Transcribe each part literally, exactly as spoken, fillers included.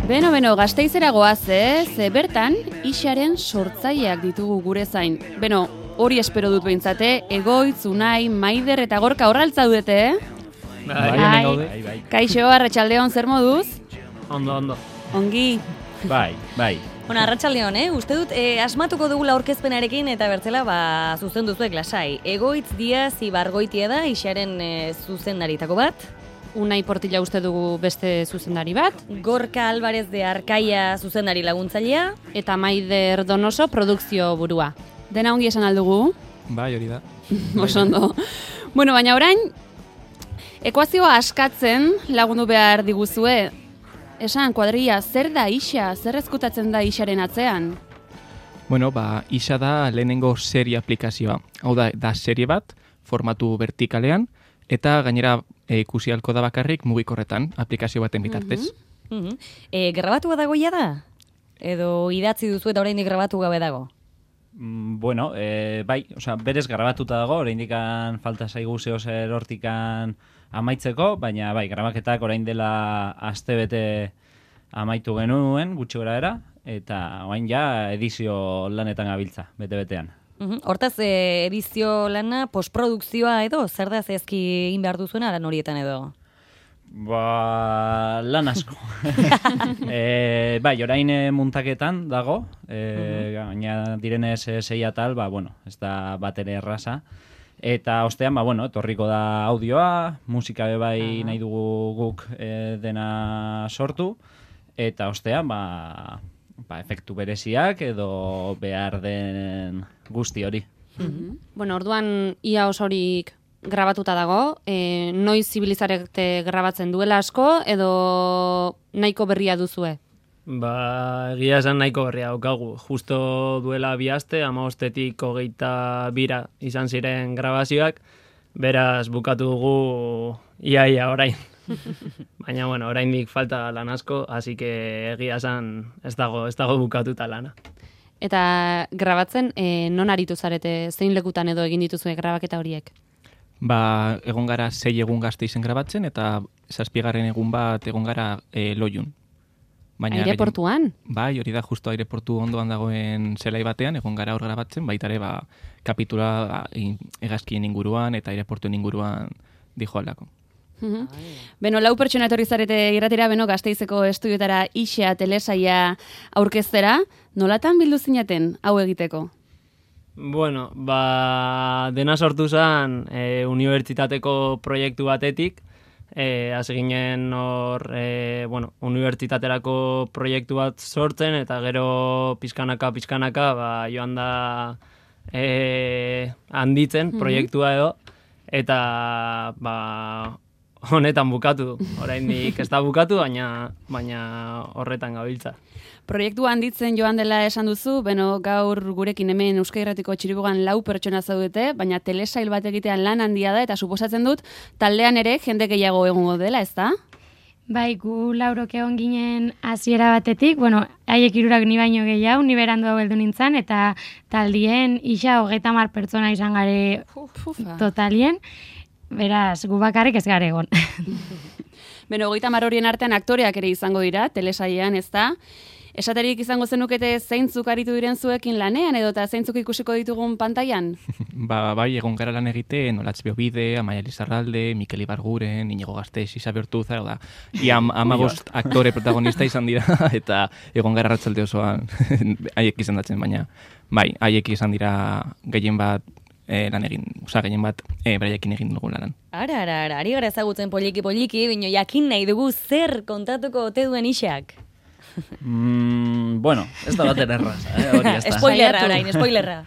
Beno, beno, Gasteizera goaz, eh? Ze bertan, Ixaren sortzaileak ditugu gure zain. Beno, hori espero dut behintzate, Egoitz, Unai, Maider eta Gorka horraltza dudete, eh? Bai, Bai, bai, bai. Kaixo, Arratsaldeon, zer moduz? Ondo, ondo. Ongi. Bai, bai. Bueno, Arratsaldeon, eh? Uste dut, eh, asmatuko dugula aurkezpenarekin eta bertzela, ba, zuzen duzuek lasai. Egoitz Diaz Ibargoitia da, Ixaren eh, zuzendaritako bat. Unai Portilla uste dugu beste zuzendari bat. Gorka Alvarez de Arkaia zuzendari laguntzailea. Eta Maider Donoso produkzio burua. Dena ongi esan aldugu? Bai, hori da. Oso ondo. Bueno, baina orain, ekuazioa askatzen lagundu behar diguzue. Esan, kuadria, zer da Ixa? Zer ezkutatzen da Ixaren atzean? Bueno, ba, Ixa da lehenengo serie aplikazioa. Hau da, da serie bat, formatu vertikalean, eta gainera e, ikusi halko da bakarrik mugikorretan, aplikazio baten bitartez. Mm -hmm. e, grabatua dago ja da? Edo idatzi duzu eta oraindik grabatu gabe dago? Mm, bueno, e, bai, osea, berez grabatuta dago, oraindikan falta zaigu zeo zer hortikan amaitzeko, baina bai, grabaketak orain dela astebete amaitu genuen, gutxi gora era, eta orain ja edizio lanetan gabiltza, bete-betean. Uhum. Hortaz, e, edizio lana, postprodukzioa edo, zer da zehazki egin behar duzuena lan horietan edo? Ba, lan asko. e, bai, orain e, muntaketan dago, e, gaina direnez e, sei atal, ba, bueno, ez da bat ere erraza. Eta ostean, ba, bueno, etorriko da audioa, musika be bai nahi dugu guk e, dena sortu, eta ostean, ba, ba, efektu bereziak edo behar den guzti hori. Mm-hmm. Bueno, orduan ia osorik grabatuta dago, e, noiz zibilizarete grabatzen duela asko, edo nahiko berria duzue? Ba, egia esan nahiko berria daukagu. Justo duela bi aste, hamabostetik hogeita bira izan ziren grabazioak, beraz bukatu dugu iaia orain. Baina, bueno, oraindik falta lan asko, así que egia esan ez dago, ez dago bukatuta lana. Eta grabatzen, e, non aritu zarete, zein lekutan edo egin dituzue grabaketa horiek? Ba, egon gara sei egun Gasteizen grabatzen, eta zazpigarren egun bat egon gara e, Loiun. Baina aireportuan? Gehien, bai, hori da, justo aireportu ondoan dagoen zelai batean, egon gara hor grabatzen, baita ere, ba, kapitula hegazkien inguruan eta aireportuen inguruan dijo aldako. Mm-hmm. Beno, lau pertsona etorri zarete irratira, beno, Gasteizeko estudioetara Ixa telesaia aurkeztera, nolatan bildu zinaten hau egiteko? Bueno, ba, dena sortu zen e, unibertsitateko proiektu batetik, e, hasi ginen hor, e, bueno, unibertsitaterako proiektu bat sortzen, eta gero pizkanaka, pizkanaka, ba, joan da e, handitzen proiektua edo, eta ba, honetan bukatu, oraindik ez da bukatu, baina, baina horretan gabiltza. Proiektua handitzen joan dela esan duzu, beno gaur gurekin hemen Euskal Irratiko Txiribogan lau pertsona zaudete, baina telesail bat egitean lan handia da, eta suposatzen dut taldean ere jende gehiago egongo dela, ez da? Bai, gu laurok egon ginen hasiera batetik, bueno, haiek hirurak ni baino gehiago, ni berandu hau heldu nintzen, eta taldien Ixa hogeita hamar pertsona izan gare totalien, beraz, gu bakarrik ez gare egon. Beno, hogeita hamar horien artean aktoreak ere izango dira, telesailean, ez da? Esaterik izango zenukete zeintzuk aritu diren zuekin lanean edo eta zeintzuk ikusiko ditugun pantailan? Ba, bai, egon gara lan egiten, Olatz Beobide, Amaia Lizarralde, Mikel Ibarguren, Inigo Gasteiz, Isabe Ortuza, da, ia amabost aktore protagonista izan dira, eta egon gara arratsalde osoan haiek izan datzen, baina, bai, haiek izan dira gehien bat E, lan egin, oza, gehien bat, e, beraiekin egin dugu lan. Ara, ara, ara, ari gara ezagutzen poliki-poliki, bino jakin nahi dugu zer kontatuko ote duen Ixak. Mm, bueno, ez da baten erraza, eh? Hori ez da. Spoilerra orain, spoilerra.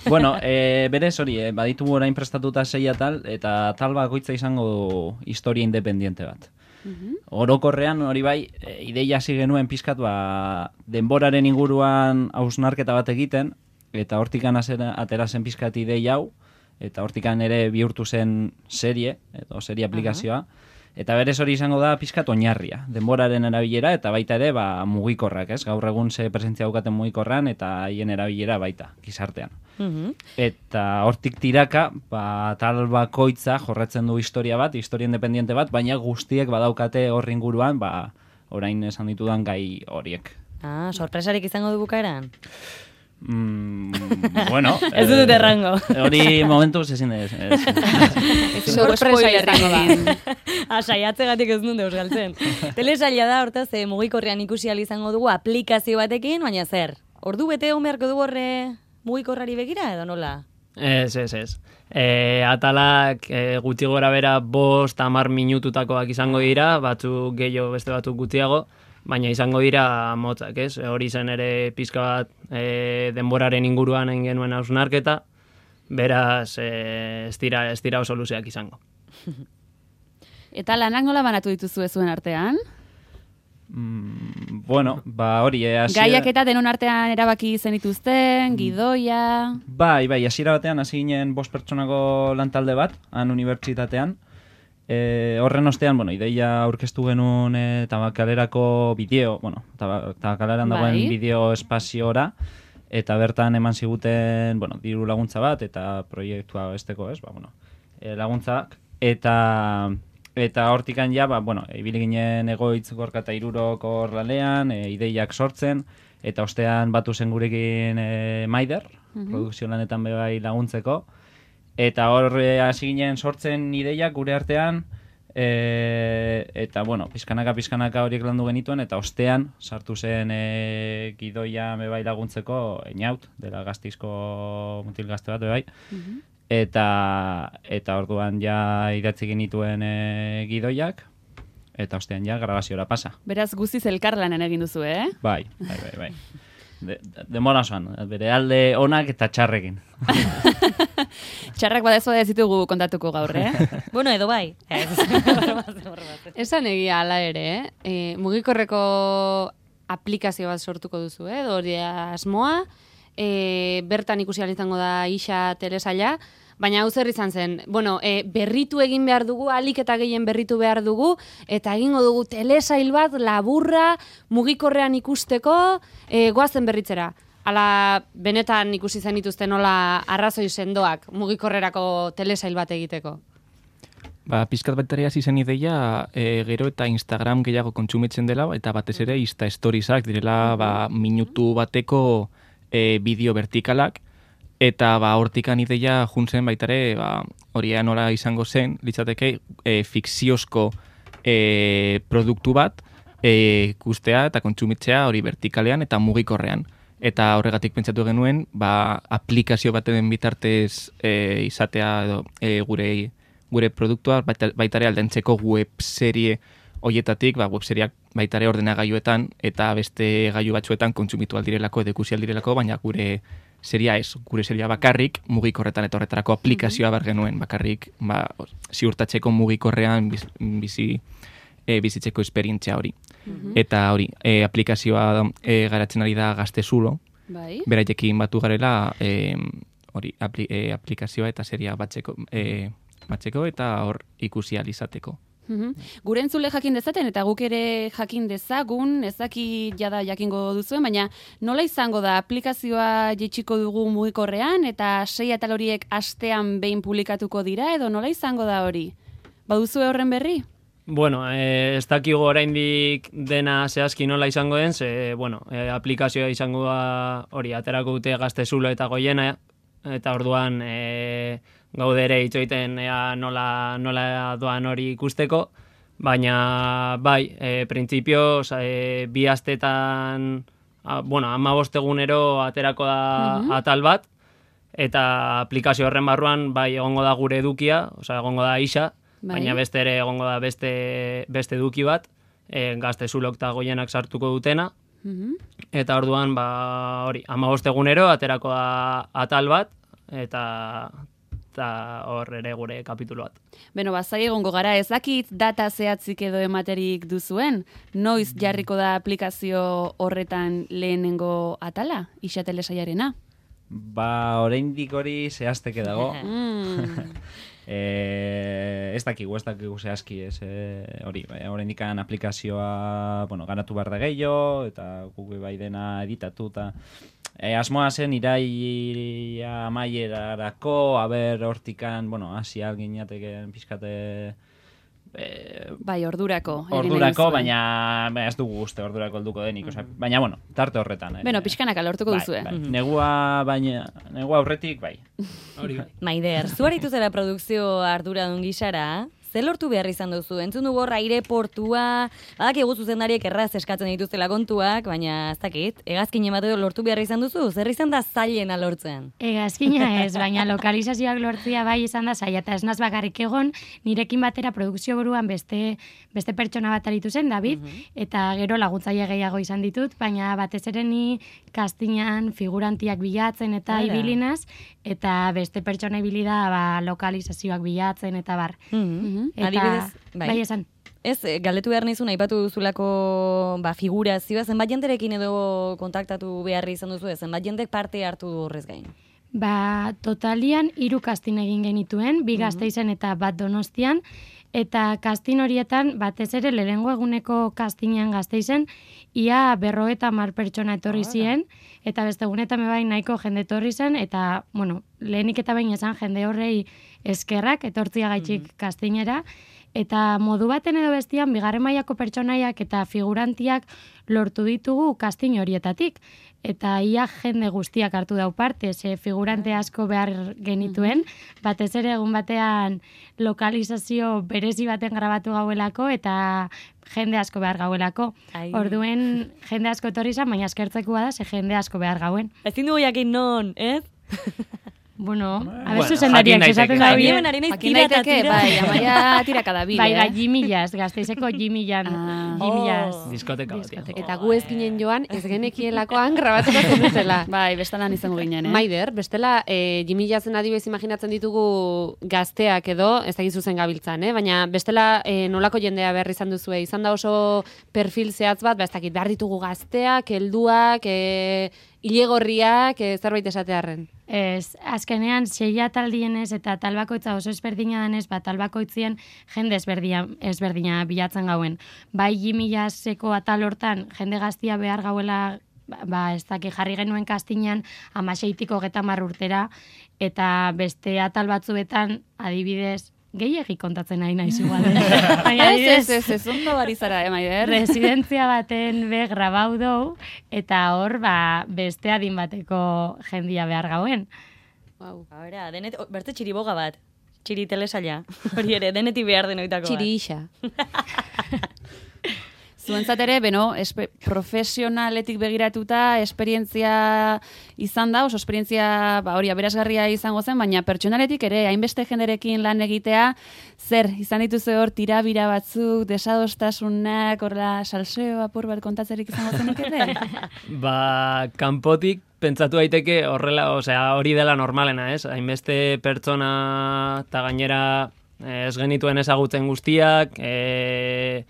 Bueno, e, berez hori, eh, baditugu orain prestatuta sei atal, eta tal bakoitza izango du historia independiente bat. Mm-hmm. Orokorrean hori bai, e, ideia hasi genuen pizkat, ba, denboraren inguruan hausnarketa bat egiten, eta hortikan atera zen pizkat ideia hau, eta hortikan ere bihurtu zen serie, edo serie aplikazioa, eta berez hori izango da pizkat oinarria, denboraren erabilera, eta baita ere ba, mugikorrak, ez? Gaur egun ze presentzia daukaten mugikorran, eta haien erabilera baita, gizartean. Mm-hmm. Eta hortik tiraka, ba, tal bakoitza jorratzen du historia bat, historia independiente bat, baina guztiek badaukate horri inguruan, ba, orain esan ditudan gai horiek. Ah, sorpresarik izango du bukaeran? Mm, bueno... Ez dut errango. Hori momentuz ezin ez. Sorpresa izango da. Ah, saiatzegatik ez nun deus galtzen. Telesaila da, hortaz, eh, mugikorrean ikusi ahal izango dugu aplikazio batekin, baina zer? Ordu bete egon beharko dugu horre mugikorrari begira, edo nola? Ez, ez, ez. E, atalak e, gutxi gora bera bost, hamar minututakoak izango dira, batzuk gehiago, beste batzuk gutxiago, baina izango dira motzak, ez? Hori zen ere pizka bat e, denboraren inguruan egin genuen hausnarketa, beraz e, ez dira, ez dira oso luzeak izango. Eta lanak nola banatu dituzue zuen artean? Mm, bueno, ba hori... Eh, hasiera... Gaiak eta denon artean erabaki zenituzten, gidoia... Bai, bai, hasiera batean hasi ginen bost pertsonako lantalde bat, han unibertsitatean. E, horren ostean, bueno, ideia aurkeztu genuen e, tabakalerako bideo, bueno, tabakaleran dagoen bai. bideo espaziora, eta bertan eman ziguten, bueno, diru laguntza bat, eta proiektua besteko, ez, ba, bueno, e, laguntzak, eta... Eta hortikan ja, ba, bueno, ibili ginen Egoitz Gorka eta Hirurok hor lanean, e, ideiak sortzen, eta ostean batu zen gurekin e, Maider, uh-huh. produkzio lanetan bai laguntzeko, eta hor e, hasi ginen sortzen ideiak gure artean, e, eta, bueno, pizkanaka pizkanaka horiek landu genituen, eta ostean sartu zen e, gidoia bai laguntzeko Einaut, dela Gasteizko mutil gazte bat bai, uh-huh. Eta eta orduan ja idatzi genituen e, gidoiak, eta ostean ja grabaziora pasa. Beraz guztiz elkarlanen egin duzu, eh? Bai, bai, bai, bai. De, de, demora osoan, bere alde onak eta txarrekin. Txarrak badezu ez ditugu kontatuko gaur, eh? Bueno, edo bai. Esan egia ala ere, eh? E, mugikorreko aplikazio bat sortuko duzu, eh? Edo hori asmoa, E, bertan ikusi ahal izango da Ixa telesaila, baina hau zer izan zen, bueno, e, berritu egin behar dugu, alik eta gehien berritu behar dugu, eta egingo dugu telesail bat laburra mugikorrean ikusteko, e, goazen berritzera. Ala benetan ikusi zen dituzten nola arrazoi sendoak mugikorrerako telesail bat egiteko. Ba, pizkat bateria hasi zen ideia, e, gero eta Instagram gehiago kontsumitzen dela, eta batez ere Insta Storiesak direla ba, minutu bateko E, bideo vertikalak, eta ba, hortikan ideia juntzen baitare, ba, hori nola izango zen, litzateke e, fikziozko e, produktu bat e, ikustea eta kontsumitzea hori vertikalean eta mugikorrean. Eta horregatik pentsatu genuen, ba, aplikazio baten bitartez e, izatea edo, e, gure, gure produktua baitare aldentzeko webserie hoietatik, ba, webseriak baitare ordenagailuetan eta beste gailu batzuetan kontsumitu aldirelako edo ikusi aldirelako, baina gure seria ez, gure seria bakarrik mugikorretan eta horretarako aplikazioa bar genuen, bakarrik ba, ziurtatzeko mugikorrean biz, bizi, e, bizitzeko esperientzia hori. Uh-huh. Eta hori, e, aplikazioa e, garatzen ari da Gaztezulo, bai. Beraiekin batu garela e, hori, apli, e, aplikazioa eta seria batzeko, e, batzeko eta hor ikusi ahal izateko. Uhum. Gure entzule jakin dezaten eta guk ere jakin dezagun, ezaki jada jakingo duzuen, baina nola izango da aplikazioa jetxiko dugu mugikorrean eta sei atal horiek astean behin publikatuko dira edo nola izango da hori? Baduzue horren berri? Bueno, eh, ez dakigu oraindik dena zehazki nola izango den, ze, bueno, eh, aplikazioa izango da hori aterako dute Gaztezulo eta Goiena, eta orduan... Eh, gaude ere itxoiten ea nola, nola doan hori ikusteko, baina bai, e, printzipioz, e, bi astetan, a, bueno, hamabost egunero aterako da uh-huh. atal bat, eta aplikazio horren barruan bai egongo da gure edukia, osea egongo da Ixa, bai. Baina beste ere egongo da beste, beste eduki bat, e, Gaztezulok eta Goienak sartuko dutena, uh-huh. eta orduan ba, hori, hamabost egunero aterako da atal bat, eta... eta hor ere gure kapitulu bat. Beno, bazai egongo gara, ez dakit data zehatzik edo ematerik duzuen? Noiz jarriko da aplikazio horretan lehenengo atala, Ixa telesailarena? Ba, oraindik hori zehazteke dago. e, ez dakigu, ez dakigu zehazki, ez hori, e, oraindik aplikazioa, bueno, ganatu behar da gehiago, eta guk bai dena editatu, eta E, asmoa zen iraia amaierarako, aber hortikan, bueno, hasi alginateken pizkate E, bai, ordurako. Ordurako, baina ba, ez dugu uste ordurako helduko denik. Osea, baina, bueno, tarte horretan. Beno, pixkanaka lortuko bai, duzue. Bai. Negua, baina, negua aurretik, bai. Hori bai. Maider, zu aritu zera produkzio arduradun gisara, ze lortu behar izan duzu? Entzun dugu hor aireportua, badakigu zuzendariek erraz eskatzen dituztela kontuak, baina ez dakit, hegazkin emateko lortu behar izan duzu? Zer izan da zailena lortzen? Hegazkina ez, baina lokalizazioak lortzia bai izan da zaila, eta ez naz bakarrik egon, nirekin batera produkzio buruan beste, beste pertsona bat aritu zen, David, eta gero laguntzaile gehiago izan ditut, baina batez ere ni kastinan figurantiak bilatzen eta Hala. ibilinaz, eta beste pertsona ibili da ba, lokalizazioak bilatzen eta bar. Eta, Adibidez, bai. bai esan. Ez, eh, galdetu behar nizun, aipatu duzulako ba, figurazioa, zenbat jenderekin edo kontaktatu behar izan duzu, zenbat jendek parte hartu du horrez gain? Ba, totalian hiru kastin egin genituen, bi Gasteizen eta bat Donostian, eta kastin horietan, batez ere lehengo eguneko kastinean Gasteizen, ia berrogeita hamar pertsona etorri ziren, eta beste egunetan bai nahiko jende etorri zen, eta, bueno, lehenik eta behin esan jende horrei eskerrak, etortzia gaitxik kastinera, eta modu baten edo bestian, bigarren mailako pertsonaiak eta figurantiak lortu ditugu kastin horietatik. Eta ia jende guztiak hartu dau parte, ze figurante asko behar genituen, batez ere egun batean lokalizazio berezi baten grabatu gauelako, eta jende asko behar gauelako. Ai. Orduen jende asko etorri izan, baina eskertzeko bada, ze jende asko behar gauen. Ezin dugu jakin non, ez? Bueno, a Bueno, ver zuzendariak jakin esaten daiteke. da Ni bien. hemen ari naiz Jakin tira eta daiteke, tira. bai, amaia tiraka da bile. Bai, bai, Jimillas, Gasteizeko Jimillan, Ah. Jimillas. Oh. Diskoteka batean. Eta gu ez ginen joan, ez genekielakoan grabatuko zenutela. Bai, bestalan izango ginen, eh? Maider, bestela, e, jimilazen adibidez imaginatzen ditugu gazteak edo, ez dakizu zen gabiltzan, eh? Baina bestela e, nolako jendea behar izan duzue, izan da oso perfil zehatz bat, ba, ez dakit, behar ditugu gazteak, helduak, e, ilegorriak, e, zerbait esatearren. Ez, azkenean seia taldienez eta talbakoitza oso ezberdina denez, ba, talbakoitzien jende ezberdina, ezberdina bilatzen gauen. Bai jimillaseko atal hortan jende gaztia behar gauela, ba, ez daki jarri genuen kastinean amaseitik hogeta hamar urtera, eta beste atal batzuetan adibidez, gehiegi kontatzen nahi naiz igual. Baina Ez, adibidez, ez, ez, ez, ondo bari zara, eh, Maider? residentzia baten be grabau dou, eta hor, ba, beste adin bateko jendia behar gauen. Wow. Ahora, denet, o, bertze txiriboga bat. Txiri telesaila. Hori ere, deneti behar denoitako bat. Txiri isa. Zuentzat ere, beno, espe, profesionaletik begiratuta, esperientzia izan da, oso esperientzia ba, hori aberasgarria izango zen, baina pertsonaletik ere, hainbeste jenderekin lan egitea, zer, izan dituzu hor tirabira batzuk, desadostasunak, horla salseo apur bat kontatzerik izango zenukete? Ba, kanpotik pentsatu daiteke horrela, osea, hori dela normalena, ez? Hainbeste pertsona eta gainera eh, ez genituen ezagutzen guztiak, eh,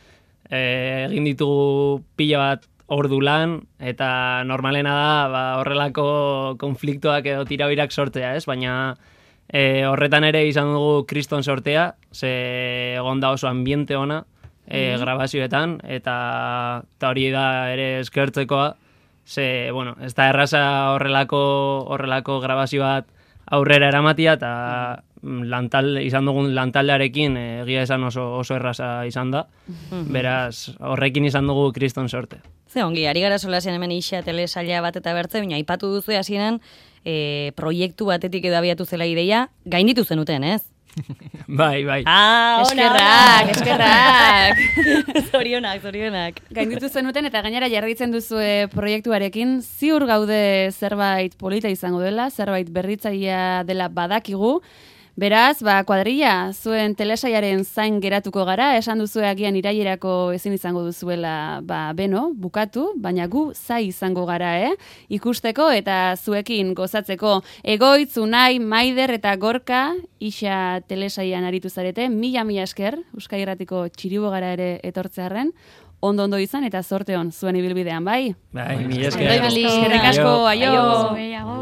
eh, egin ditugu pila bat ordu lan, eta normalena da ba, horrelako konfliktoak edo tirabirak sortzea, ez? Baina eh, horretan ere izan dugu kriston sortea, ze egon da oso ambiente ona, eh, grabazioetan, eta, eta hori da ere eskertzekoa, ze, bueno, ez da erraza horrelako, horrelako grabazio bat aurrera eramatia, eta lantal, izan dugun lantaldearekin eh, egia esan oso, oso erraza izan da. Beraz, horrekin izan dugu kriston sorte. Ze ongi, ari gara solasean hemen isa telesaila bat eta bertze, baina aipatu duzu hasieran e, proiektu batetik edo abiatu zela ideia, gainditu zenuten, ez? Bai, bai. Ah, Eskerrak, eskerrak. Zorionak, zorionak. Gainditu zenuten eta gainera jarraitzen duzue proiektuarekin, ziur gaude zerbait polita izango dela, zerbait berritzailea dela badakigu. Beraz, ba, kuadrilla, zuen telesaiaren zain geratuko gara, esan duzue agian irailerako ezin izango duzuela, ba, beno, bukatu, baina gu zai izango gara, eh? Ikusteko eta zuekin gozatzeko Egoitz, Unai, Maider eta Gorka, isa telesaian aritu zarete, mila mila esker, Euskal Irratiko txiribogara ere etortzearren, ondo-ondo izan eta zorte on zuen ibilbidean, bai? Bai, mila esker. Bai, Mali. Eskerrik asko, aio! Gehiago.